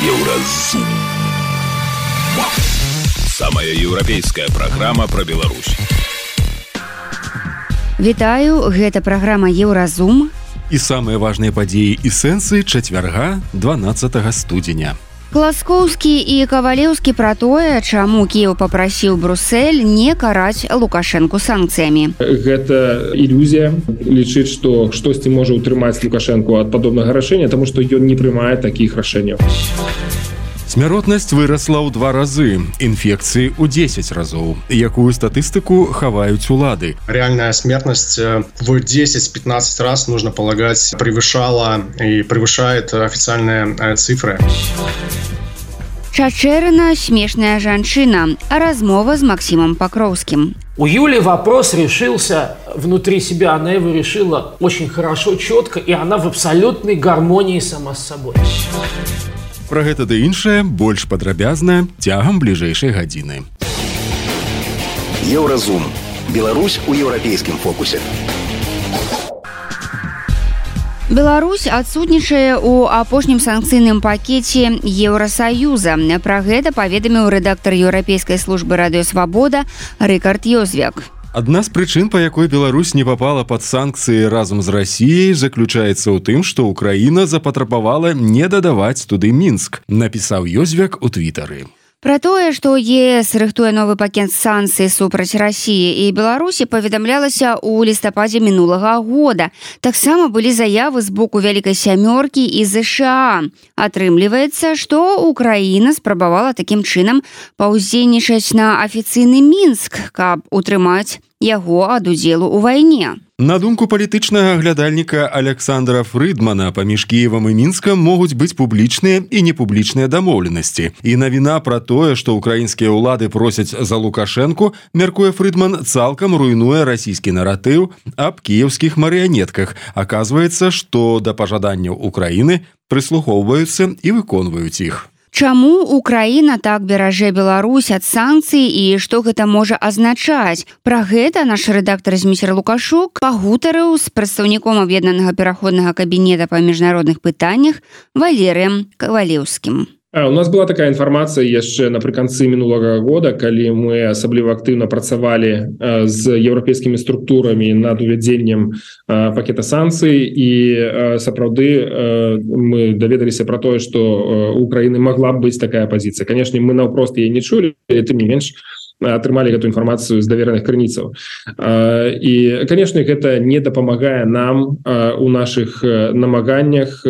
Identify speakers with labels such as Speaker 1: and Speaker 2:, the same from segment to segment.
Speaker 1: Еўразум. Самая еўрапейская праграма пра Беларусь.
Speaker 2: Вітаю, гэта праграма Еўразум.
Speaker 3: І самыя важныя падзеі і сэнсы чацвярга 12 студзеня.
Speaker 2: Класкоўскі і Кавалеўскі пра тое, чаму Кіеў папрасіў Брюссель не караць Лукашэнку санкцыямі.
Speaker 4: Гэта ілюзія лічыць, што штосьці можа ўтрымаць Лукашэнку ад падобнага рашэння, таму што ён не прымае такіх рашэнняў.
Speaker 3: Смяротнасць вырасла ў 2 разы, інфекцыі ў 10 разоў. Якую статыстыку хаваюць улады?
Speaker 5: Реальная смертность в 10-15 раз, нужно полагать, превышала и превышает официальные цифры.
Speaker 2: Чачэрына смешная жанчына. Размова с Максимом Покровским.
Speaker 6: У Юли вопрос решился внутри себя. Она его решила очень хорошо, четко, и она в абсолютной гармонии сама с собой.
Speaker 3: Пра гэта ды іншае больш падрабязна цягам бліжэйшай гадзіны.
Speaker 1: Еўразум. Беларусь у еўрапейскім фокусе.
Speaker 2: Беларусь адсутнічае ў апошнім санкцыйным пакеце Еўрасаюза. Пра гэта паведаміў рэдактар еўрапейскай службы радыёсвабода Рыкард Ёзвяк.
Speaker 3: Адна з прычын, па якой Беларусь не папала пад санкцыі разам з Расіяй, заключаецца ў тым, што Украіна запатрабавала не дадаваць туды Мінск, напісаў Ёзвяк у твітары.
Speaker 2: Пра тое, што ЕС рыхтуе новы пакет санкцый супраць Расіі і Беларусі, паведамлялася ў лістападзе мінулага года. Таксама былі заявы з боку Вялікай сямёркі і ЗША. Атрымліваецца, што Украіна спрабавала такім чынам паўдзельнічаць на афіцыйны Мінск, каб утрымаць яго ад удзелу ў вайне.
Speaker 3: На думку палітычнага аглядальніка Александра Фрыдмана, паміж Кіевам і Мінскам могуць быць публічныя і непублічныя дамоўленасці. І навіна пра тое, што ўкраінскія ўлады просяць за Лукашэнку, мяркуе Фрыдман, цалкам руйнуе расійскі наратыў аб кіеўскіх марыянетках. Аказваецца, што да пажаданняў Украіны прыслухоўваюцца і выконваюць іх.
Speaker 2: Чаму Украіна так беражэ Беларусь ад санкцый і што гэта можа азначаць? Пра гэта наш рэдактар Зміцер Лукашук пагутарыў з прадстаўніком аб'яднанага пераходнага кабінета па міжнародных пытаннях Валерыем Кавалеўскім.
Speaker 4: У нас была такая інфармацыя яшчэ напрыканцы мінулага года, калі мы асабліва актыўна працавалі з еўрапейскімі структурамі над увядзеннем пакета санкцый, і сапраўды мы даведаліся пра тое, што у Украіны магла б быць такая пазіцыя. Канешне, мы наўпрост яе не чулі, тым не менш атрымалі гэту інфармацыю з давераных крыніцаў. І, канешне, гэта не дапамагае нам у нашых намаганнях.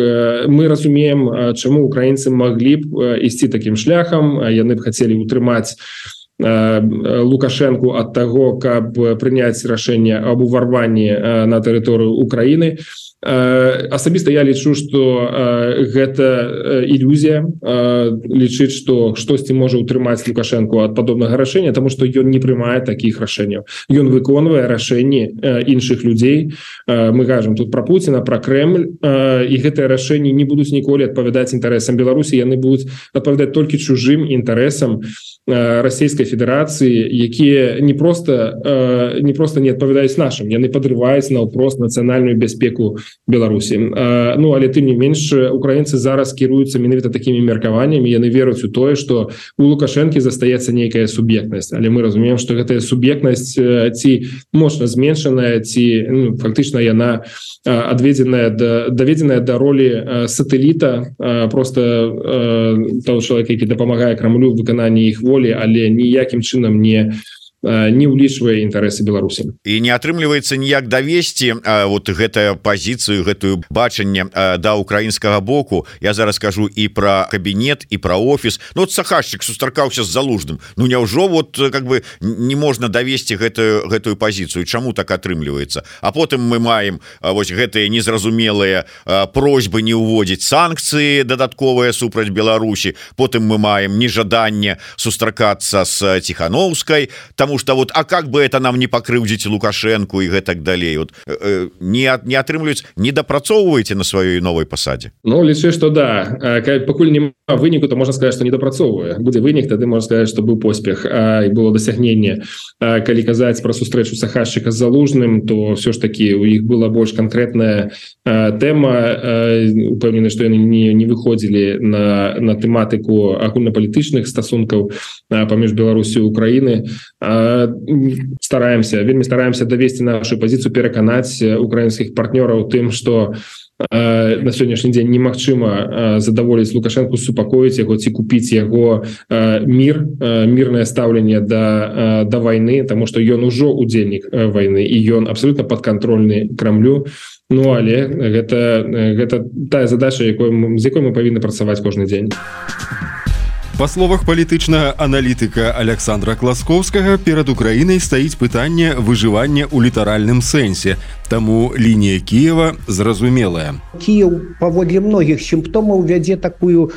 Speaker 4: Мы разумеем, чаму украінцы маглі б ісці такім шляхам. Яны б хацелі утрымаць Лукашэнку ад таго, каб прыняць рашэнне аб уварванні на тэрыторыю Украіны. Асабіста я лічу, што гэта ілюзія лічыць, што штосьці можа ўтрымаць Лукашэнку ад падобнага рашэння, таму што ён не прымае такіх рашэнняў. Ён выконвае рашэнні іншых людзей. Мы кажам тут пра Пуціна, пра Крэмль, і гэтыя рашэнні не будуць ніколі адпавядаць інтарэсам Беларусі, яны будуць адпавядаць толькі чужым інтарэсам Расійскай Федэрацыі, якія не проста не адпавядаюць нашым, яны падрываюць наўпрост нацыянальную бяспеку Беларусі. Ну, але тым не менш, украінцы зараз кіруюцца менавіта такімі меркаваннямі, яны веруць у тое, што у Лукашэнкі застаецца нейкая суб'ектнасць, але мы разумеем, што гэтая суб'ектнасць ці моцна зменшаная, ці фактычна яна даведзеная да ролі сатэліта, проста таго чалавека, які дапамагае Крамлю ў выкананні іх волі, але ніякім чынам не ўлічвае інтарэсы Беларусі.
Speaker 7: І не атрымліваецца ніяк давесці вот гэтую пазіцыю, гэтую бачанне да украінскага боку. Я зараз кажу і пра кабінет, і пра офіс. Ну, вот Сахашчык сустракаўся з Залужным. Ну, няўжо вот как бы не можна давесці гэтую пазіцыю? Чаму так атрымліваецца? А потым мы маем вось гэтыя незразумелыя просьбы не ўводзіць санкцыі дадатковыя супраць Беларусі. Потым мы маем нежаданне сустракацца з Ціхановскай, тому что вот, а как бы это нам не покрыўдзіць Лукашенко и гэтак далей, вот не атрымліваюць, не дапрацоўваеце на сваёй новой пасадзе?
Speaker 4: Ну, лічу, что да, пакуль няма выніку то можна сказаць, што недапрацоўвае. Будзе вынік, тады можна сказаць, што быў поспех і было дасягненне. Калі казаць пра сустрэчу Сахашчыка з Залужным, то все ж таки у іх была больш канкрэтная тэма. Упэўнены, што яны не выходзілі на тэматыку агульнапалітычных стасункаў паміж Беларусю і Украіны. Вельмі стараемся давесці нашу пазіцыю, пераканаць украінскіх партнёраў тым, што на сённяшні дзень немагчыма задаволіць Лукашенку, супакоіць яго ці купіць яго мірнае стаўленне да вайны, таму што ён ужо удзельнік вайны і ён абсолютна падкантрольны Крамлю. Ну але гэта тая задача, з якой мы павінны працаваць кожны дзень.
Speaker 3: Па словах палітычнага аналітыка Александра Класкоўскага, перад Украінай стаіць пытанне выжывання ў літаральным сэнсе. Таму лінія Кіева зразумелая.
Speaker 8: Кіев паводле многіх сімптомаў вядзе такую,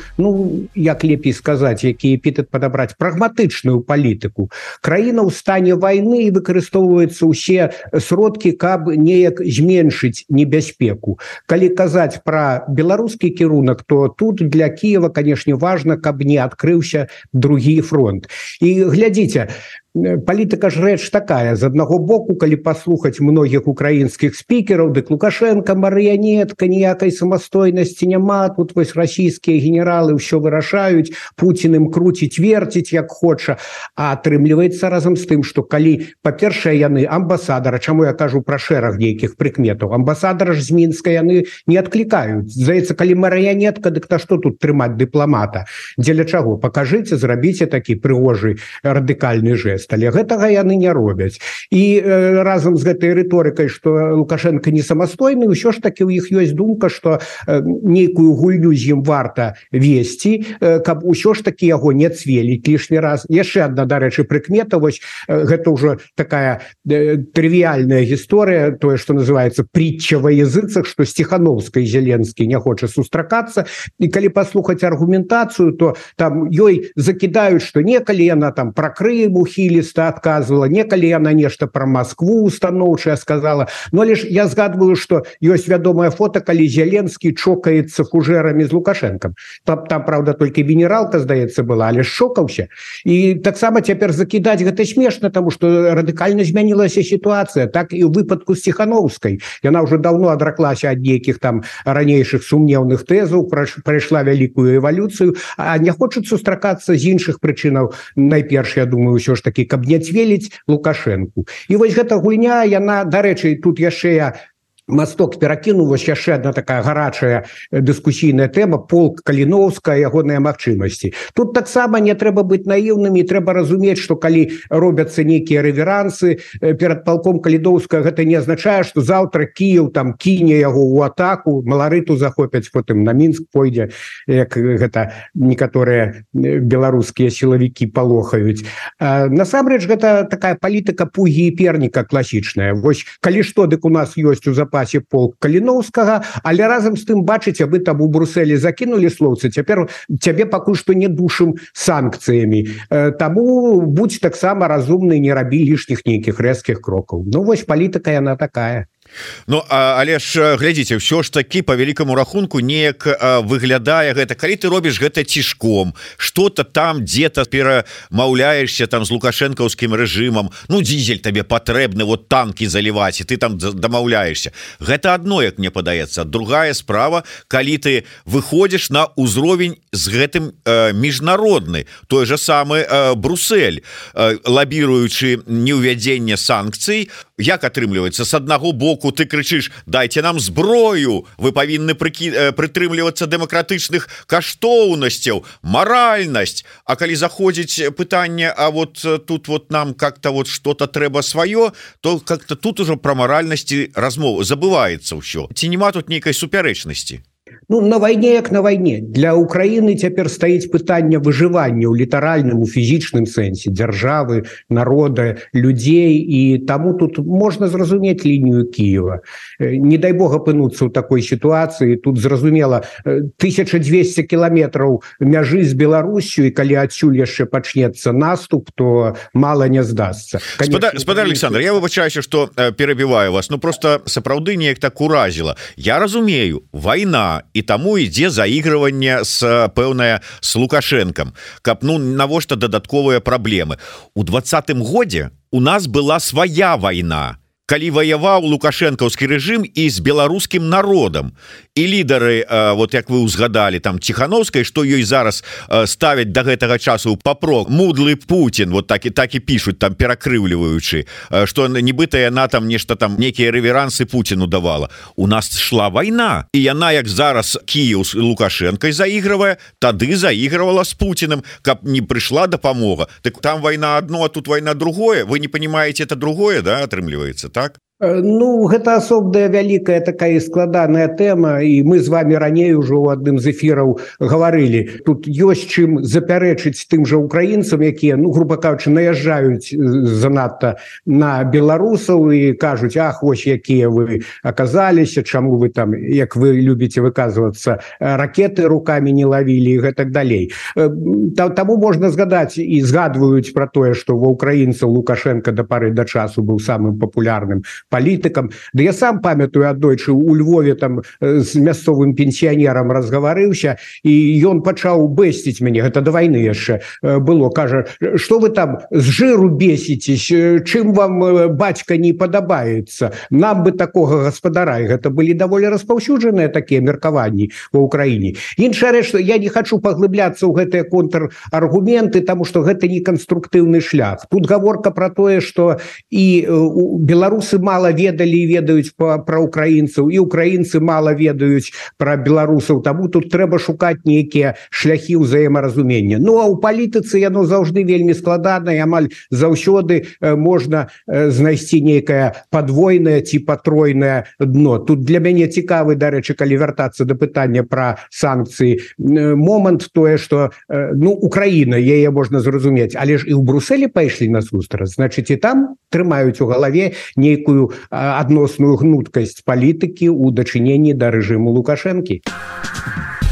Speaker 8: як лепей сказаць, які эпітэт падабраць, прагматычную палітыку. Краіна ў стане вайны і выкарыстоўваюцца ўсе сродкі, каб неяк зменшыць небяспеку. Калі казаць пра беларускі кірунак, то тут для Кіева, канешне, важна, каб не адкрыўся другі фронт. І глядзіце, палітыка ж рэч такая. З аднаго боку, калі паслухаць многіх украінскіх спікераў, дык Лукашенко марыянетка, ніякай самастойнасці няма, тут вось расійскія генералы ўсё вырашаюць, Пуцін ім круціць, верціць як хоча. А атрымліваецца разам з тым, што калі, па-першае, яны амбасадара, чаму я кажу пра шэраг нейкіх прыкметаў, амбасадара ж з Мінска яны не адклікаюць. Здаецца, калі марыянетка, дык та што тут трымаць дыпламата? Дзеля чаго? Пакажыце, зрабіце такі прыгожы радыкальны жэст. Але гэтага яны не робяць. І разам з гэтай рыторыкай, што Лукашенко не самастойны, ўсё ж такі ў іх ёсць думка, што нейкую гульню з ім варта весці, каб усё ж такі яго не цвеліць лішні раз. Яшчэ адна, дарэчы, прыкмета, вось гэта ўжо такая трывіяльная гісторыя, тое, што называецца притча во языцах, што Стехановска і Зеленскі не хоча сустракацца. І калі паслухаць аргументацыю, то там ёй закідаюць, што некалі яна там пра Крым ухіліста адказвала, некалі яна нешта пра Маскву устаноўчая сказала. Но лишь я згадваю, што ёсць вядомае фота, калі Зеленскі чокаецца фужэрамі з Лукашенкам. Там, правда, толькі генералка, здаецца, была, але шокаўся. І таксама цяпер закідаць гэта смешна, таму што радыкальна змянілася сітуацыя. Так і ў выпадку з Ціхановскай. Яна ўжо даўно адраклася ад нейкіх там ранейшых сумнеўных тэзаў, прайшла вялікую эвалюцыю, а не хочуць сустракацца з іншых прычынаў. Найперш, я думаю, ўсё ж такі, каб не цвеліць Лукашенку. І вось гэта гульня, яна, дарэчы, тут яшчэ я масток перакіну, вось яшчэ одна такая гарачая дыскусійная тэма, полк Каліноўска, ягоныя магчымасці. Тут таксама не трэба быць наіўнымі, трэба разумець, што калі робяцца нейкія рэверансы перад палком Каліноўска, гэта не азначае, што заўтра Кіеў там кіне яго ў атаку, Маларыту захопяць, потым на Мінск пойдзе, як гэта некаторыя беларускія сілавікі палохаюць. Насамрэч, гэта такая палітыка пугі і перніка класічная. Вось калі што, дык у нас ёсць у запасе полк Каліноўскага, але разам з тым, бачыце, вы там у Брусэлі закінулі слоўцы, цяпер цябе пакуль што не душым санкцыямі. Таму будзь таксама разумны, не рабі лішніх нейкіх рэзкіх крокаў. Ну вось палітыка яна такая.
Speaker 7: Ну, але ж глядзіце, ўсё ж такі по вялікаму рахунку неяк выглядае гэта, калі ты робіш гэта цішком, что-то там дзе-то перамаўляешься там з лукашэнкаўскім рэжымам, ну дизель табе патрэбны, вот танкі заліваць, і ты там дамаўляешься. Гэта адно, як мне падаецца. Другая справа, калі ты выходзіш на ўзровень з гэтым міжнародны, той же самы Брусэль, лабіруючы неўвядзенне санкцый, як атрымліваецца? С аднаго боку ты крычыш: дайце нам зброю, вы павінны прытрымлівацца дэмакратычных каштоўнасцяў, маральнасць. А калі заходзіць пытанне, а вот тут вот нам как-то вот что-то трэба сваё, то как-то тут ужо пра маральнасці размова забываецца ўсё. Ці нема тут нейкай супярэчнасці?
Speaker 8: Ну, на вайне як на вайне. Для Украіны цяпер стаіць пытанне выжывання ў літаральным, у фізічным сэнсе дзяржавы, народа, людзей, і таму тут можна зразумець лінію Кіева. Не дай Бог апынуцца ў такой сітуацыі. Тут зразумела 1200 кіламетраў мяжы з Беларусю, і калі адсюль яшчэ пачнецца наступ, то мала не здасца.
Speaker 7: Спадар Александр, я выбачаюся, што перабіваю вас, ну просто сапраўды неяк так уразіла. Я разумею, вайна і таму ідзе заігрыванне с пэўная с Лукашенком, каб навошта дадатковыя праблемы. У 20-м годзе у нас была свая вайна, калі ваяваў лукашэнкаўскі рэжым і з беларускім народам. І лідары, вот як вы узгадалі, там Ціхановскай, што ёй зараз ставяць да гэтага часу папрок, мудлы Путін, вот так і пішуць, там перакрыўліваючы, што нібыта яна там нешта там, некія рэверансы Путіну давала. У нас шла вайна, і яна, як зараз Кіеў з Лукашэнкай заігрывае, тады заігрывала з Путіным, каб не прыйшла дапамога. Так там вайна одно, а тут вайна другое. Вы не понимаете, это другое, да, атрымліваецца, так?
Speaker 8: Ну, гэта асобная вялікая такая складаная тэма, і мы з вами раней ужо ў адным з эфіраў гаварылі. Тут ёсць чым запярэчыць тым жа украінцам, якія, ну, грубо кажучы, наязджаюць занадта на беларусаў і кажуць: ах, вось якія вы аказаліся, чаму вы там, як вы любіце выказвацца, ракеты рукамі не лавілі і гэтак далей. Таму можна згадаць і згадваюць пра тое, што ва ўкраінцаў Лукашенко да пары да часу быў самым папулярным палітыкам. Да я сам памятаю, аднойчы у Львове там з мясцовым пенсіянерам разгаварыўся, і ён пачаў бэсціць мяне, гэта да вайны яшчэ было, кажа: што вы там з жыру бесіцесь, чым вам бацька не падабаецца, нам бы такога гаспадара. І гэта былі даволі распаўсюджаныя такія меркаванні ва ўкраіне. Іншая рэч, што я не хачу паглыбляцца ў гэтыя контраргументы, таму што гэта не канструктыўны шлях. Тут гаворка пра тое, што і беларусы мала ведалі і ведаюць пра украінцаў, і украінцы мала ведаюць пра беларусаў, таму тут трэба шукаць нейкія шляхі ўзаемаразумення. Ну, а ў палітыцы яно заўжды вельмі складана, і амаль заўсёды можна знайсці нейкае падвойнае ці патройнае дно. Тут для мяне цікавы, дарэчы, калі вяртацца да пытання пра санкцыі, момант тое, што, ну, Украіна, яе можна зразумець, але ж і ў Брусэлі пайшлі насустрач, значыць, і там трымаюць у галаве нейкую адносную гнуткасць палітыкі ў дачыненні да рэжыму Лукашэнкі.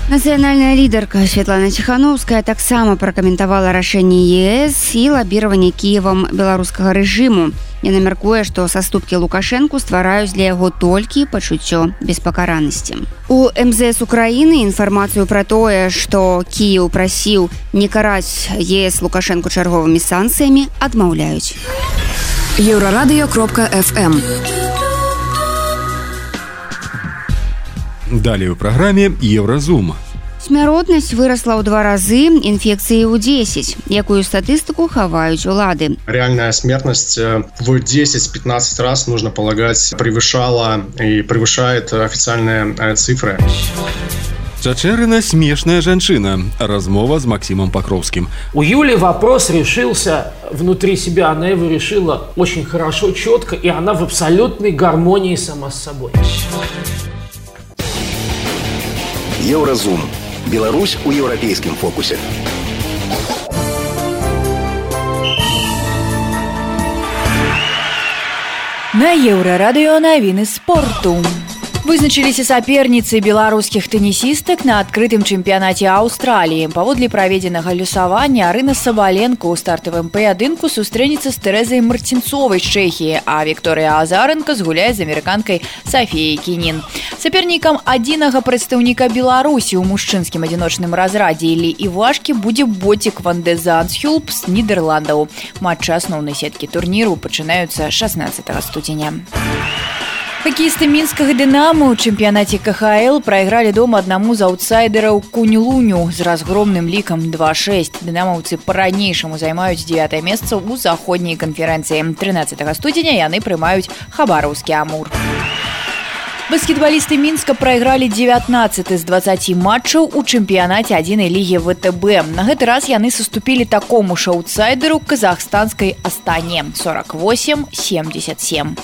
Speaker 2: Нацыянальная лідарка Святлана Ціхановская таксама пракаментавала рашэнне ЕС і лабіраванне Кіевам беларускага рэжыму. Яна мяркуе, што саступкі Лукашэнку ствараюць для яго толькі пачуццё беспакаранасці. У МЗС Украіны інфармацыю пра тое, што Кіеў прасіў не караць ЕС Лукашэнку чарговымі санкцыямі, адмаўляюць.
Speaker 9: Еврорадио.FM.
Speaker 3: Далее у праграме Евразум.
Speaker 2: Смяротнасць вырасла ў 2 разы, інфекцыі ў 10. Якую статыстыку хаваюць улады?
Speaker 5: Реальная смертность в 10-15 раз, нужно полагать, превышала и превышает официальные цифры.
Speaker 3: Чачэрына смешная жанчына. Размова с Максимом Покровским.
Speaker 6: У Юли вопрос решился внутри себя. Она его решила очень хорошо, четко, и она в абсолютной гармонии сама с собой.
Speaker 1: Евразум. Беларусь у еўрапейскім фокусе.
Speaker 9: На Еўрарадыё навіны спорту. Вызначыліся саперніцы беларускіх тэнісістак на адкрытым чэмпіянаце Аўстраліі. Паводле праведзенага лёсавання Арына Сабаленко ў стартавым паядынку сустрэнецца з Тэрэзай Марцінцовай з Чэхіі, а Вікторыя Азаренка згуляе з амерыканкай Сафіяй Кінін. Сапернікам адзінага прадстаўніка Беларусі ў мужчынскім адзіночным разрадзе Іллі Івашкі будзе Ботік ван де Зандсхюлп з Нідерландаў. Матчы асноўнай сеткі турніру пачынаюцца 16 студзеня. Хакеісты мінскага «Дынама» ў чэмпіянаце КХЛ прайгралі дома аднаму з аўтсайдераў Кунь-Луню з разгромным лікам 2-6. Дынамаўцы па-ранейшаму займаюць 9-е месца ў заходняй канферэнцыі. 13 студзеня яны прымаюць хабараўскі «Амур». Баскетбалісты Мінска прайгралі 19 з 20 матчаў у чэмпіянаце адзінай лігі ВТБ. На гэты раз яны саступілі такому ж аўтсайдеру казахстанскай Астане 48-77.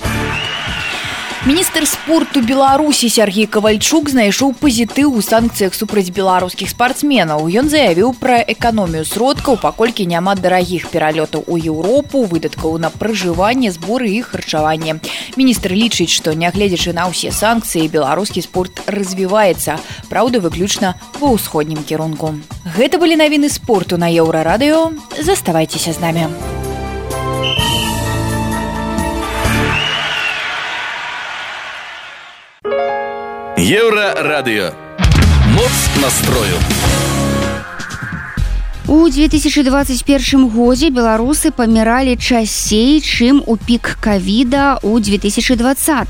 Speaker 9: Міністр спорту Беларусі Сергей Кавальчук знайшоў пазітыў у санкцыях супраць беларускіх спартсменаў. Ён заявіў пра эканомію сродкаў, паколькі няма дарагіх пералётаў у Еўропу, выдаткаў на пражыванне, зборы і харчаванне. Міністр лічыць, што нягледзячы на ўсе санкцыі, беларускі спорт развіваецца, праўда, выключна ва ўсходнім кірунку. Гэта былі навіны спорту на Еўрарадыё. Заставайцеся з намі.
Speaker 10: Еврорадио. Моц настрою.
Speaker 2: У 2021 годзе беларусы паміралі часцей, чым у пік ковіда у 2020.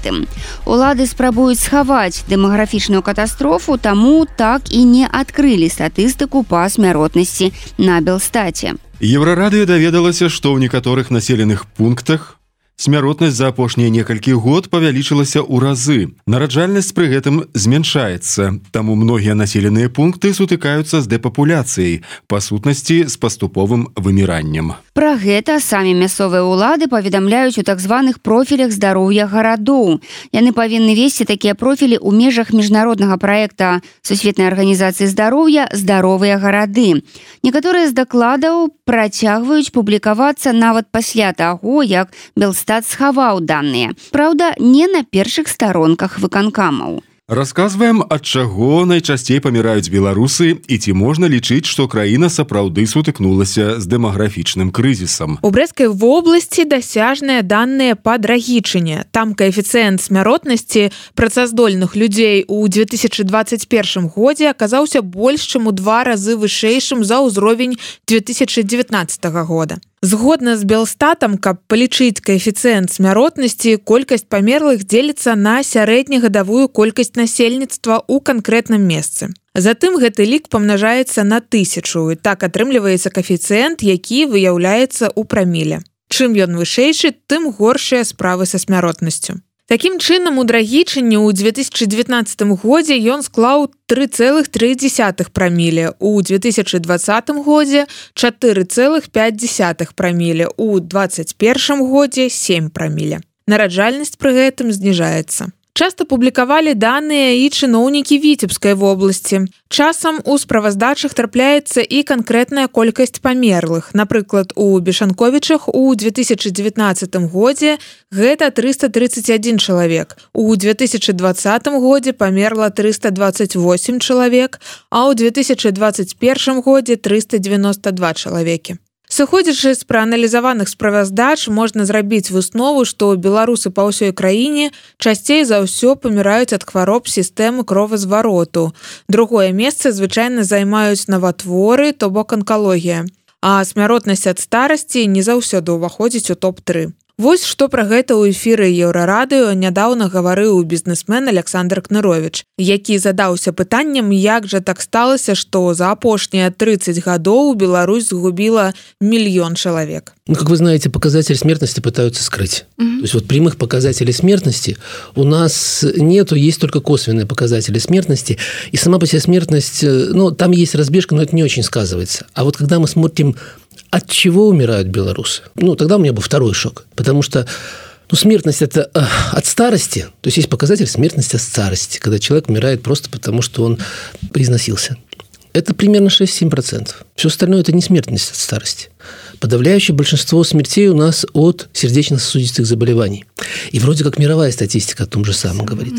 Speaker 2: Улады спрабуюць схаваць дэмаграфічную катастрофу, таму так і не адкрылі статыстыку па смяротнасці на Белстаце.
Speaker 3: Еўрарадыё даведалася, што ў некаторых населеных пунктах смяротнасць за апошнія некалькі год павялічылася ў разы. Нараджальнасць пры гэтым змяншаецца, таму многія населеныя пункты сутыкаюцца з дэпапуляцыяй, па сутнасці з паступовым выміраннем.
Speaker 2: Пра гэта самі мясцовыя ўлады паведамляюць у так званых профілях здароўя гарадоў. Яны павінны весці такія профілі ў межах міжнароднага праекта Сусветнай арганізацыі здароўя «Здаровыя гарады». Некаторыя з дакладаў працягваюць публікавацца нават пасля таго, як Белстат схаваў даныя. Праўда, не на першых старонках выканкамаў.
Speaker 3: Расказваем, ад чаго найчасцей паміраюць беларусы і ці можна лічыць, што краіна сапраўды сутыкнулася з дэмаграфічным крызісам.
Speaker 11: У Брэсцкай вобласці дасяжныя даныя па Драгічыне. Там каэфіцыент смяротнасці працаздольных людзей у 2021 годзе аказаўся больш, чым у 2 разы вышэйшым за ўзровень 2019 года. Згодна з Белстатам, каб палічыць каэфіцыент смяротнасці, колькасць памерлых дзеліцца на сярэднегадавую колькасць насельніцтва ў канкрэтным месцы. Затым гэты лік памнажаецца на 1000, і так атрымліваецца каэфіцыент, які выяўляецца ў праміле. Чым ён вышэйшы, тым горшыя справы са смяротнасцю. Такім чынам, у Драгічыне ў 2019 годзе ён склаў 3,3 праміле, у 2020 годзе 4,5 праміле, у 2021 годзе 7 праміле. Нараджальнасць пры гэтым зніжаецца. Часта публікавалі даныя і чыноўнікі Віцебскай вобласці. Часам у справаздачах трапляецца і канкрэтная колькасць памерлых. Напрыклад, у Бешанковічах у 2019 годзе гэта 331 чалавек. У 2020 годзе памерла 328 чалавек, а ў 2021 годзе 392 чалавекі. Сыходзячы з прааналізаваных справаздач, можна зрабіць выснову, што беларусы па ўсёй краіне часцей за ўсё паміраюць ад хвароб сістэмы кровазвароту. Другое месца звычайна займаюць наватворы, то бок анкалогія. А смяротнасць ад старасці не заўсёды ўваходзіць у топ-3. Вось што пра гэта ў эфіры Еўрарадыё нядаўна гаварыў бізнесмен Александр Кнырович, які задаўся пытанням, як жа так сталася, што за апошнія 30 гадоў Беларусь згубила 1 миллион человек.
Speaker 12: Ну, как вы знаете, показатель смертности пытаются скрыть. То есть вот прямых показателей смертности у нас нету, есть только косвенные показатели смертности. И сама по себе смертность, ну, там есть разбежка, но это не очень сказывается. А вот когда мы смотрим, от чего умирают белорусы, ну, тогда у меня был второй шок. Потому что смертность – это от старости. То есть есть показатель смертности от старости, когда человек умирает просто потому, что он износился. Это примерно 6-7%. Все остальное – это не смертность от старости. Подавляющее большинство смертей у нас от сердечно-сосудистых заболеваний. И вроде как мировая статистика о том же самом говорит.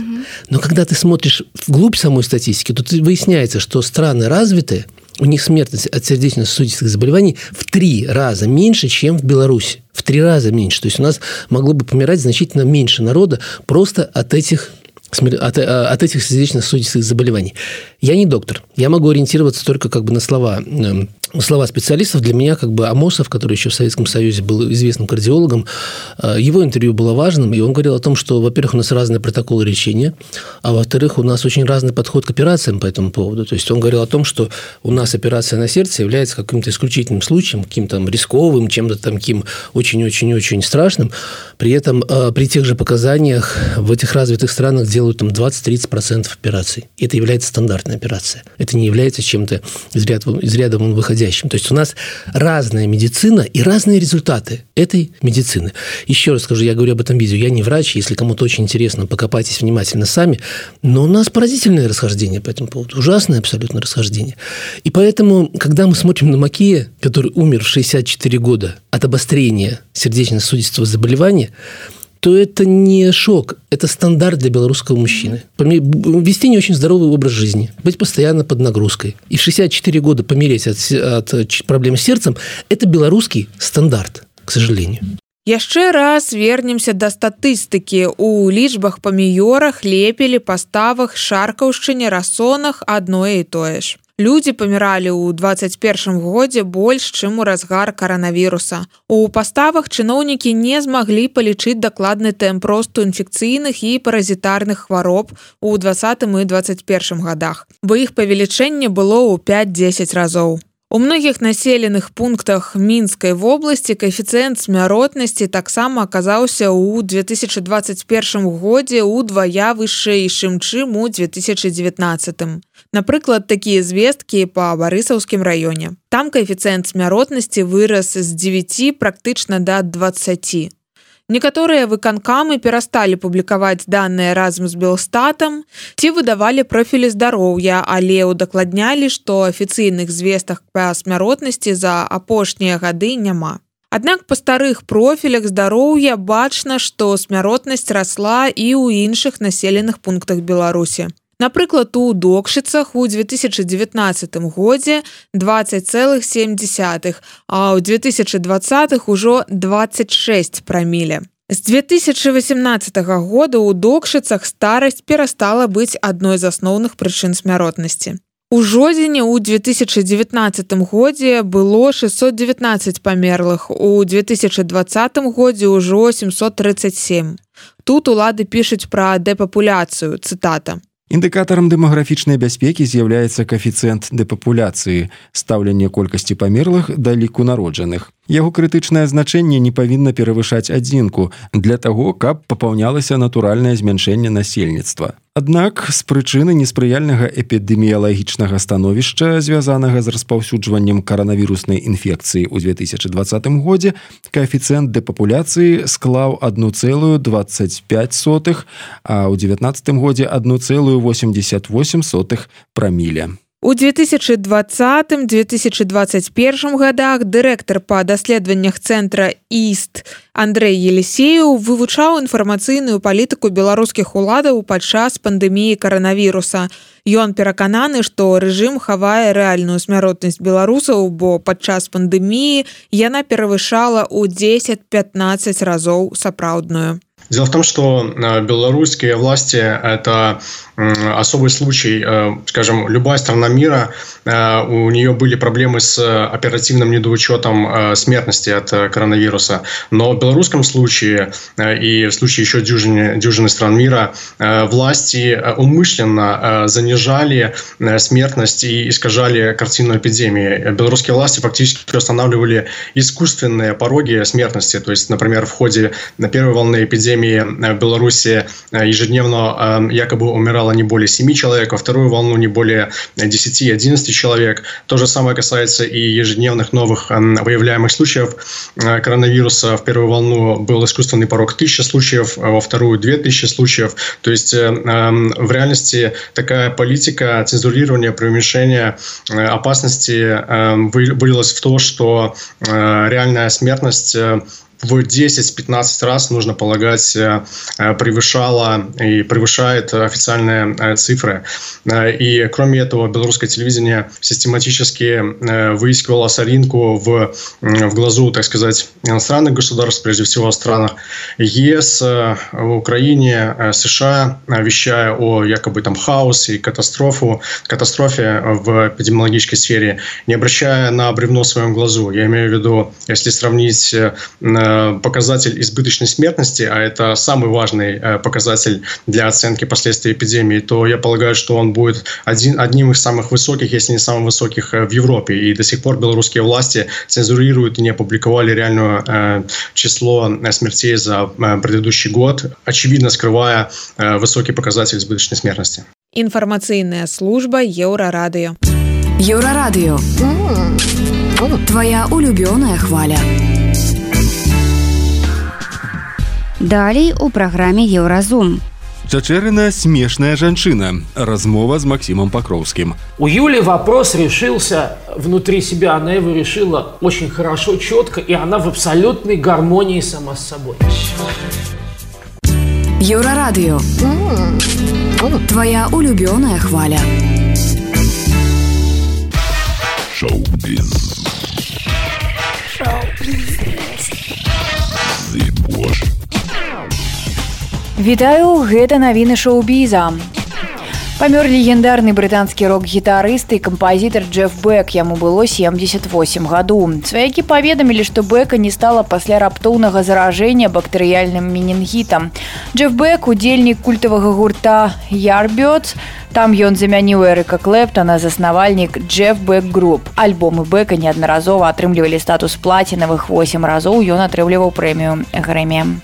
Speaker 12: Но когда ты смотришь вглубь самой статистики, то выясняется, что страны развитые, у них смертность от сердечно-сосудистых заболеваний в 3 раза меньше, чем в Беларуси. В 3 раза меньше. То есть у нас могло бы помирать значительно меньше народа просто от этих сердечно-сосудистых заболеваний. Я не доктор. Я могу ориентироваться только как бы на слова специалистов. Для меня как бы Амосов, который еще в Советском Союзе был известным кардиологом, его интервью было важным, и он говорил о том, что, во-первых, у нас разные протоколы лечения, а во-вторых, у нас очень разный подход к операциям по этому поводу. То есть он говорил о том, что у нас операция на сердце является каким-то исключительным случаем, каким-то рисковым, чем-то таким очень-очень-очень страшным. При этом при тех же показаниях в этих развитых странах делают там 20-30% операций. И это является стандартной операцией. Это не является чем-то из ряда вон выходящим. То есть у нас разная медицина и разные результаты этой медицины. Еще раз скажу, я говорю об этом видео, я не врач, если кому-то очень интересно, покопайтесь внимательно сами, но у нас поразительное расхождение по этому поводу, ужасное абсолютно расхождение. И поэтому, когда мы смотрим на Макея, который умер в 64 года от обострения сердечно-сосудистого заболевания, то это не шок, это стандарт для белорусского мужчины. Вести не очень здоровый образ жизни, быть постоянно под нагрузкой. И в 64 года помереть от проблем с сердцем – это белорусский стандарт, к сожалению.
Speaker 11: Яшчэ раз вернемся да статыстыкі. У лічбах паміёрах, лепелі, паставах, шаркаўшчыне, расонах адное і тое ж. Людзі паміралі ў 21 годзе больш, чым у разгар каранавіруса. У паставах чыноўнікі не змаглі палічыць дакладны тэмп росту інфекцыйных і паразітарных хвароб у 20 і 21 годах, бо іх павелічэнне было ў 5-10 разоў. У многіх населеных пунктах Мінскай вобласці каэфіцыент смяротнасці таксама аказаўся ў 2021 годзе ўдвая вышэйшым, чым у 2019. Напрыклад, такія звесткі па Барысаўскім раёне. Там каэфіцыент смяротнасці вырас з 9 практычна да 20. Некаторыя выканкамы перасталі публікаваць даныя разам з Белстатам ці выдавалі профілі здароўя, але удакладнялі, што афіцыйных звестак па смяротнасці за апошнія гады няма. Аднак па старых профілях здароўя бачна, што смяротнасць расла і ў іншых населеных пунктах Беларусі. Напрыклад, у Докшыцах у 2019 годзе 20,7, а ў 2020 ужо 26 праміле. З 2018 года ў Докшыцах старасць перастала быць адной з асноўных прычын смяротнасці. У жодзіне ў 2019 годзе было 619 памерлых, у 2020 годзе ўжо 737. Тут улады пішуць пра дэпапуляцыю, цытата.
Speaker 3: Індыкатарам дэмаграфічнай бяспекі з'яўляецца каэфіцыент дэпапуляцыі, стаўленне колькасці памерлых да ліку народжаных. Яго крытычнае значэнне не павінна перавышаць 1 для таго, каб папаўнялася натуральнае змяншэнне насельніцтва. Аднак, з прычыны неспрыяльнага эпідэміялагічнага становішча, звязанага з распаўсюджваннем каранавіруснай інфекцыі ў 2020 годзе, каэфіцыент дэпапуляцыі склаў 1,25, а ў 2019 годзе 1,88 праміля.
Speaker 11: У 2020-2021 годах дырэктар па даследаваннях цэнтра ІСТ Андрэй Елісеў вывучаў інфармацыйную палітыку беларускіх уладаў падчас пандэміі каранавіруса. Ён перакананы, што рэжым хавае рэальную смяротнасць беларусаў, бо падчас пандэміі яна перавышала ў 10-15 разоў сапраўдную.
Speaker 5: Дело в том, что белорусские власти – это особый случай. Скажем, любая страна мира, у нее были проблемы с оперативным недоучетом смертности от коронавируса. Но в белорусском случае и в случае еще дюжины стран мира власти умышленно занижали смертность и искажали картину эпидемии. Белорусские власти фактически устанавливали искусственные пороги смертности. То есть, например, в ходе первой волны эпидемии в Беларуси ежедневно якобы умирало не более 7 человек, во вторую волну не более 10-11 человек. То же самое касается и ежедневных новых выявляемых случаев коронавируса. В первую волну был искусственный порог 1000 случаев, во вторую 2000 случаев. То есть в реальности такая политика цензурирования, преуменьшения опасности вылилась в то, что реальная смертность в 10-15 раз, нужно полагать, превышала и превышает официальные цифры. И кроме этого, белорусское телевидение систематически выискивало соринку в глазу, так сказать, иностранных государств, прежде всего в странах ЕС, в Украине, США, вещая о якобы там хаосе и катастрофе в эпидемиологической сфере, не обращая на бревно в своем глазу. Я имею в виду, если сравнить показатель избыточной смертности, а это самый важный показатель для оценки последствий эпидемии, то я полагаю, что он будет одним из самых высоких, если не самым высоких в Европе. И до сих пор белорусские власти цензурируют и не опубликовали реальное число смертей за предыдущий год, очевидно скрывая высокий показатель избыточной смертности.
Speaker 11: Информационная служба Еўрарадыё.
Speaker 9: Еўрарадыё. Твоя улюбёная хваля.
Speaker 2: Далей у праграме Еўразум.
Speaker 3: Чачэрына смешная жанчына. Размова с Максимом Покровским.
Speaker 6: У Юли вопрос решился внутри себя. Она его решила очень хорошо, четко, и она в абсолютной гармонии сама с собой.
Speaker 9: Еўрарадыё. Твоя улюбёная хваля.
Speaker 1: Шоу-биз.
Speaker 9: Вітаю, гэта навіны шоу-біза. Памёр легендарны брытанскі рок-гітарыст і кампазітар Джеф Бек, яму было 78 гадоў. Сваякі паведамілі, што Бека не стала пасля раптоўнага заражэння бактэрыяльным менінгітам. Джеф Бек – удзельнік культавага гурта Yardbirds. Там ён замяніў Эрыка Клэптана, заснавальнік Jeff Beck Group. Альбомы Бека неаднаразова атрымлівалі статус плацінавых, 8 разоў ён атрымліваў прэмію Грэмі.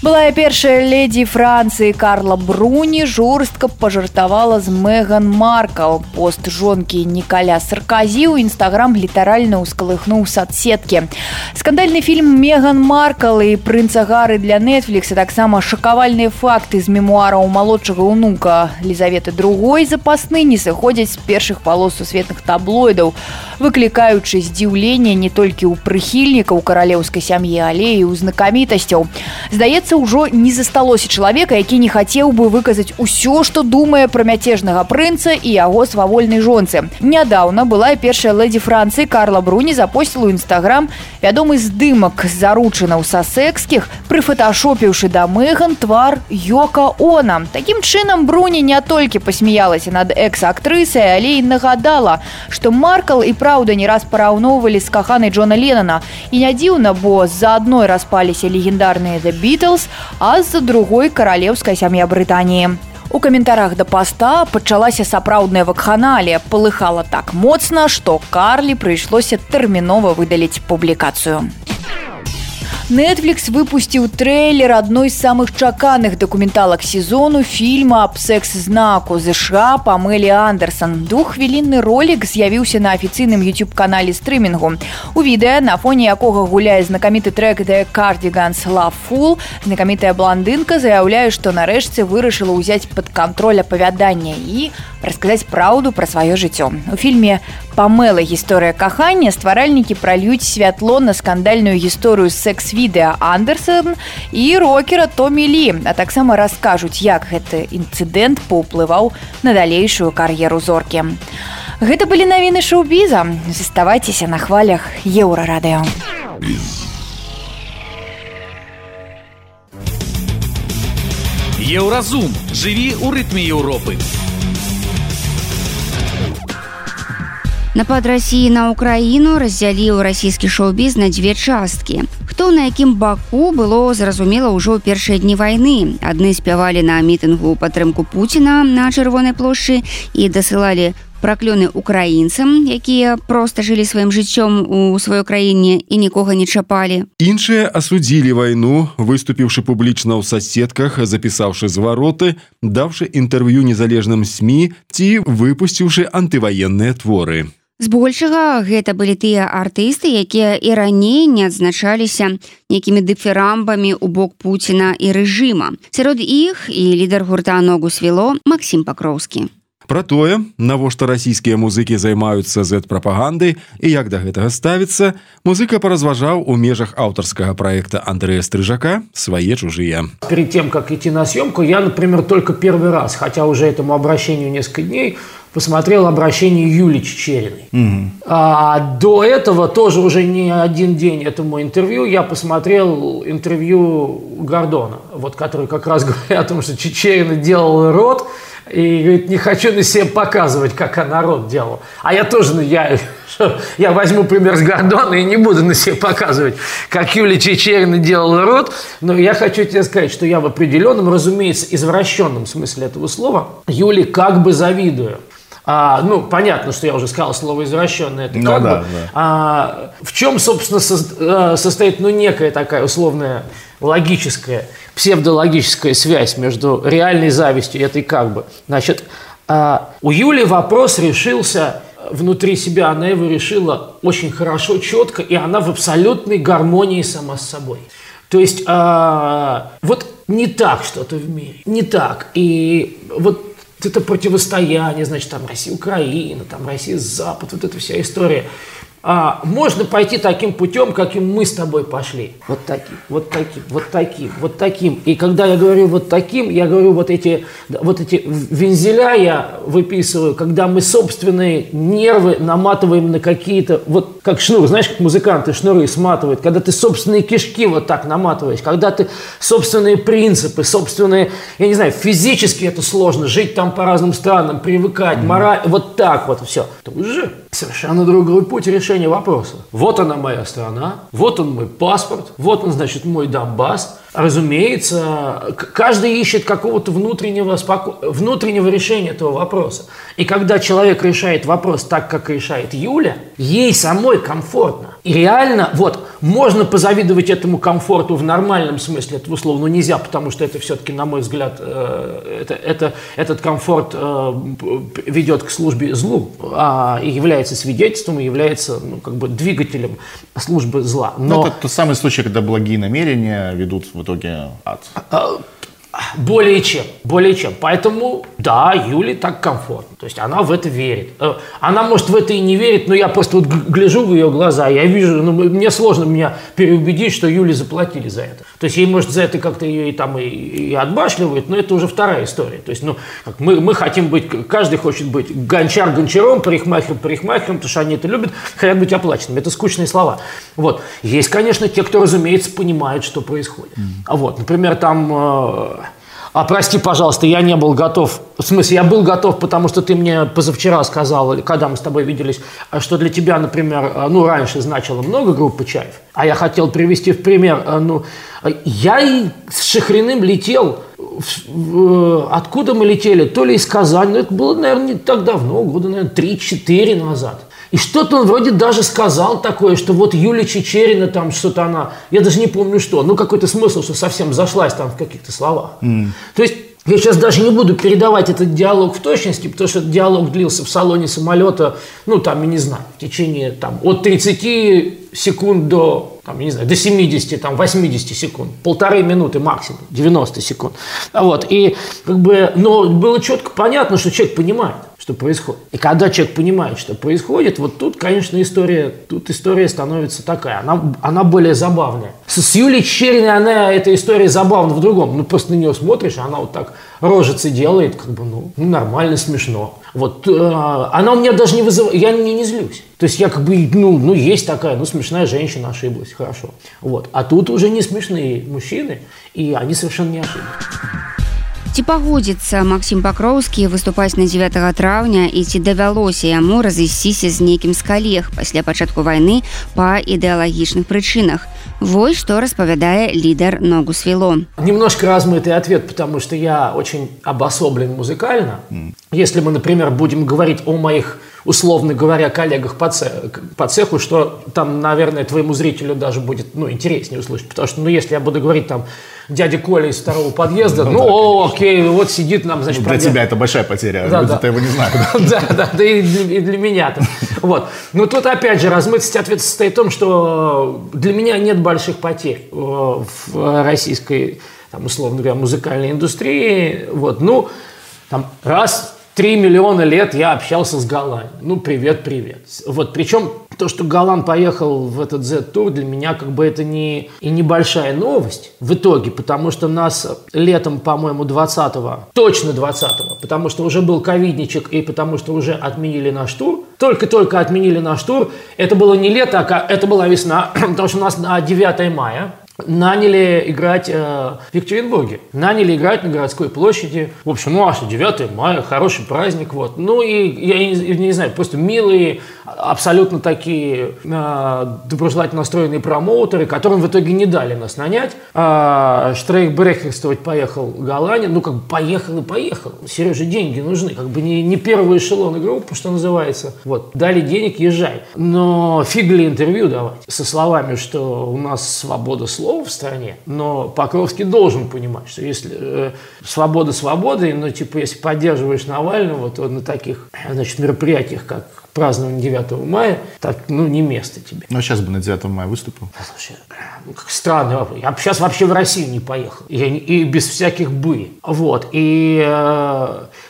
Speaker 9: Былая першая леді Францыі Карла Бруні жорстка пажартавала з Меган Маркл. Пост жонкі Нікаля Сарказі ў Інстаграм літаральна ўскалыхнуў соцсеткі. Скандальны фільм «Меган Маркл» і «Прынца Гары» для Netflix, а таксама шакавальныя факты з мемуараў малодшага ўнука Лізаветы II запасны не сыходзяць з першых палос сусветных таблоідаў, выклікаючы здзіўленне не толькі ў прыхільнікаў каралеўскай сям'і, але і ў знакамітасцяў. Здаецца, ўжо не засталося чалавека, які не хацеў бы выказаць усё, што думае пра мяцежнага прынца і яго свавольнай жонцы. Нядаўна былая першая леді Францыі Карла Бруні запосціла ў Інстаграм вядомы здымак заручынаў сассекскіх, прыфоташопіўшы да Меган твар Йока Оно. Такім чынам Бруні не толькі пасмяялася над экс-актрысай, але і нагадала, што Маркл і праўда не раз параўноўвалі з каханай Джона Леннона. І не дзіўна, бо з-за адной распаліся легендарныя The Beatles, а з-за другой каралеўская сям'я Брытаніі. У каментарах да паста пачалася сапраўдная вакханалія. Палыхала так моцна, што Карлі прыйшлося тэрмінова выдаліць публікацыю. Netflix выпусціў трэйлер адной з самых чаканых дакументалак сезону фільма аб секс-знаку США Памелі Андерсон. 2-хвілінны ролик з'явіўся на афіцыйным YouTube-канале стрымінгу. У відэа, на фоне якога гуляе знакаміты трэк The Cardigans Love Fool, знакамітая блондынка заяўляе, што нарэшце вырашыла ўзяць пад кантроль апавядання і расказаць праўду пра сваё жыццё. У фільме «Памела. Гісторыя кахання» стваральнікі пральюць святло на скандальную гісторыю секс-відэа Андерсон і рокера Томі Лі, а таксама раскажуць, як гэты інцыдэнт паўплываў на далейшую кар'еру зоркі. Гэта былі навіны шоу-біза. Заставайцеся на хвалях Еўрарадыё.
Speaker 10: Еўразум. Жыві ў рытме Еўропы.
Speaker 2: Напад Расіі на Украіну раздзяліў расійскі шоу-біз на дзве часткі. Хто на якім баку, было зразумела ўжо ў першыя дні вайны. Адны спявалі на мітынгу ў падтрымку Пуціна на Чырвонай плошчы і дасылалі праклёны украінцам, якія проста жылі сваім жыццём у сваёй краіне і нікога не чапалі.
Speaker 3: Іншыя асудзілі вайну, выступіўшы публічна ў соцсетках, запісаўшы звароты, даўшы інтэрв'ю незалежным СМІ ці выпусціўшы антываенныя творы.
Speaker 2: Збольшага гэта былі тыя артысты, якія і раней не адзначаліся нейкімі дыферамбамі ў бок Пуціна і рэжыма. Сярод іх і лідар гурта «Ногу свело» Максім Пакроўскі.
Speaker 3: Пра тое, навошта расійскія музыкі займаюцца Z-прапагандай і як да гэтага ставіцца, музыка паразважаў у межах аўтарскага праекта Андрэя Стрыжака «Свае чужие».
Speaker 6: Перед тем, как идти на съемку, я, например, только первый раз, хотя уже этому обращению несколько дней, посмотрел обращение Юлии Чичериной. А до этого тоже уже не один день этому интервью я посмотрел интервью Гордона, вот, который как раз говорит о том, что Чичерина делала рот, и говорит, не хочу на себе показывать, как она рот делала. А я тоже, я возьму пример с Гордона и не буду на себе показывать, как Юлия Чичерина делала рот. Но я хочу тебе сказать, что я в определенном, разумеется, извращенном смысле этого слова Юле как бы завидую. Понятно, что я уже сказал слово «извращенное». Это как бы. В чем, собственно, состоит некая такая условная логическая, псевдологическая связь между реальной завистью и этой как бы. Значит, у Юли вопрос решился внутри себя, она его решила очень хорошо, четко, и она в абсолютной гармонии сама с собой. То есть вот не так что-то в мире, не так. И вот это противостояние, значит, там Россия, Украина, там Россия, Запад, вот эта вся история. можно пойти таким путем, каким мы с тобой пошли. Вот таким, вот таким, вот таким, вот таким. И когда я говорю вот таким, я говорю вот эти вензеля я выписываю, когда мы собственные нервы наматываем на какие-то, вот как шнур, знаешь, как музыканты шнуры сматывают, когда ты собственные кишки вот так наматываешь, когда ты собственные принципы, собственные, я не знаю, физически это сложно, жить там по разным странам, привыкать, мораль, вот так вот все. Это уже совершенно другой путь решения вопроса. Вот она моя страна, вот он мой паспорт, вот он, значит, мой Донбасс. Разумеется, каждый ищет какого-то внутреннего решения этого вопроса. И когда человек решает вопрос так, как решает Юля, ей самой комфортно. И реально, вот, можно позавидовать этому комфорту в нормальном смысле этого слова, но нельзя, потому что это все-таки, на мой взгляд, этот комфорт ведет к службе злу, и является свидетельством, и является двигателем службы зла.
Speaker 13: Но это тот самый случай, когда благие намерения ведут в итоге ад.
Speaker 6: Более чем. Поэтому, да, Юле так комфортно. То есть она в это верит. Она, может, в это и не верит, но я просто вот гляжу в ее глаза, я вижу, мне сложно меня переубедить, что Юле заплатили за это. То есть ей, может, за это как-то ее и отбашливают, но это уже вторая история. То есть, мы хотим быть, каждый хочет быть гончар гончаром, парикмахер парикмахером, потому что они это любят, хотят быть оплаченными. Это скучные слова. Вот. Есть, конечно, те, кто, разумеется, понимает, что происходит. Вот, например, там... прости, пожалуйста, я не был готов. В смысле, я был готов, потому что ты мне позавчера сказал, когда мы с тобой виделись, что для тебя, например, раньше значило много группы «Чайф», а я хотел привести в пример, я и с Шахриным летел. Откуда мы летели? То ли из Казани, но это было, наверное, не так давно, года, наверное, 3-4 назад. И что-то он вроде даже сказал такое, что вот Юлия Чечерина, там что-то она, я даже не помню что, какой-то смысл, что совсем зашлась там в каких-то словах. То есть я сейчас даже не буду передавать этот диалог в точности, потому что этот диалог длился в салоне самолета, я не знаю, в течение от 30 секунд до, до 70, 80 секунд, 1,5 минуты максимум, 90 секунд. Вот, и но было четко понятно, что человек понимает, что происходит. И когда человек понимает, что происходит, вот тут, конечно, история становится такая, она более забавная. С Юлией Чечериной эта история забавна в другом. Просто на нее смотришь, она вот так рожицы делает, нормально, смешно. Вот, она у меня даже не вызывает, я не злюсь. То есть я есть такая, смешная женщина, ошиблась, хорошо. Вот. А тут уже не смешные мужчины, и они совершенно не ошиблись.
Speaker 2: Ці пагодзіцца Максім Пакроўскі выступаць на 9 траўня і ці давялося яму разысціся з нейкім з калег пасля пачатку вайны па ідэалагічных прычынах. Вось што распавядае лідар «Ногу свело».
Speaker 6: Немножко размытый ответ, потому что я очень обособлен музыкально. Если мы, например, будем говорить о моих, условно говоря, коллегах по цеху, что там, наверное, твоему зрителю даже будет интереснее услышать. Потому что, если я буду говорить там дядя Коля из второго подъезда, окей, вот сидит нам, значит...
Speaker 13: Для тебя это большая потеря, люди-то его не знают.
Speaker 6: Да, и для меня-то. Вот. Но тут, опять же, размытость ответа состоит в том, что для меня нет больших потерь в российской, условно говоря, музыкальной индустрии. Вот. 3 миллиона лет я общался с Галан. Привет. Вот, причем то, что Галан поехал в этот Z-тур, для меня это не небольшая новость в итоге, потому что нас летом, по-моему, 20-го, потому что уже был ковидничек и потому что уже отменили наш тур, только отменили наш тур, это было не лето, это была весна, потому что у нас на 9 мая наняли играть в Екатеринбурге. Наняли играть на городской площади. В общем, 9 мая, хороший праздник. Вот. И я не знаю, просто милые, абсолютно такие доброжелательно настроенные промоутеры, которым в итоге не дали нас нанять. Штрейхбрехерствовать поехал Галанин. Поехал. Сереже, деньги нужны. Не первый эшелон группы, что называется. Вот. Дали денег, езжай. Но фиг ли интервью давать со словами, что у нас свобода слова, слово в стране, но Покровский должен понимать, что если свобода свободой, но типа если поддерживаешь Навального, то на таких, значит, мероприятиях, как празднование 9 мая, так, ну, не место тебе.
Speaker 13: Ну, сейчас бы на 9 мая выступил.
Speaker 6: Слушай, ну, как странный вопрос. Я бы сейчас вообще в Россию не поехал. И без всяких «бы». Вот. И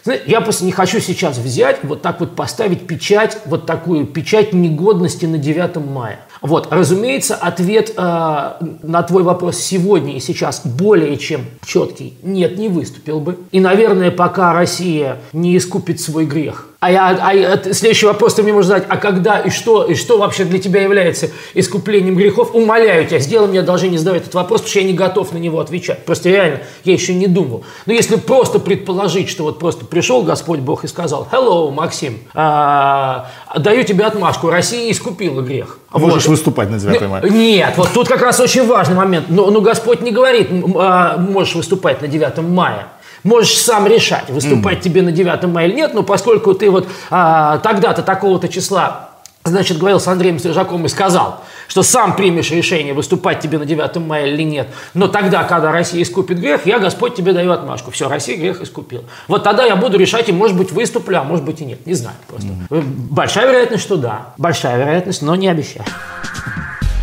Speaker 6: знаете, я просто не хочу сейчас взять, вот так вот поставить печать, вот такую печать негодности на 9 мая. Вот, разумеется, ответ на твой вопрос сегодня и сейчас более чем четкий. Нет, не выступил бы. И, наверное, пока Россия не искупит свой грех. Следующий вопрос ты мне можешь задать, а когда и что вообще для тебя является искуплением грехов? Умоляю тебя, сделай мне одолжение задавать этот вопрос, потому что я не готов на него отвечать. Просто реально, я еще не думал. Но если просто предположить, что вот просто пришел Господь Бог и сказал: «Hello, Максим, даю тебе отмашку, Россия искупила грех».
Speaker 13: Можешь выступать на 9 мая.
Speaker 6: Нет, вот тут как раз очень важный момент. Но Господь не говорит, можешь выступать на 9 мая. Можешь сам решать, выступать тебе на 9 мая или нет, но поскольку ты вот тогда-то, такого-то числа, значит, говорил с Андреем Стрижаком и сказал, что сам примешь решение, выступать тебе на 9 мая или нет, но тогда, когда Россия искупит грех, я, Господь, тебе даю отмашку. Все, Россия грех искупила. Вот тогда я буду решать, и, может быть, выступлю, а может быть и нет. Не знаю просто. Большая вероятность, что да. Большая вероятность, но не обещаю.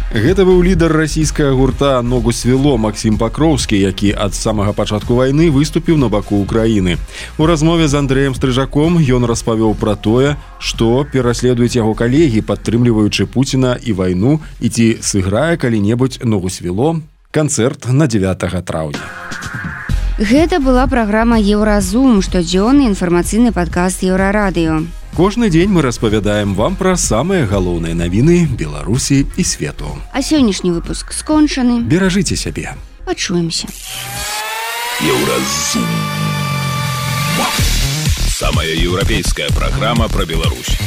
Speaker 3: Гэта быў лідар расійскага гурта «Ногу свело» Максим Покровскі, які ад самага пачатку вайны выступіў на баку Украіны. У размове з Андрэем Стрыжаком ён распавёў пра тое, што пераследуюць яго калегі, падтрымліваючы Пуціна і вайну, і ці сыграе калі-небудзь «Ногу свело» канцэрт на 9 траўня.
Speaker 2: Гэта была праграма «Еўразум», штодзённы інфармацыйны падкаст Еўрарадыё.
Speaker 3: Кожны дзень мы распавядаем вам пра самыя галоўныя навіны Беларусі і свету.
Speaker 2: А сённяшні выпуск скончаны.
Speaker 3: Беражыце сябе.
Speaker 2: Пачуемся.
Speaker 10: Еўразум. Самая еўрапейская праграма пра Беларусь.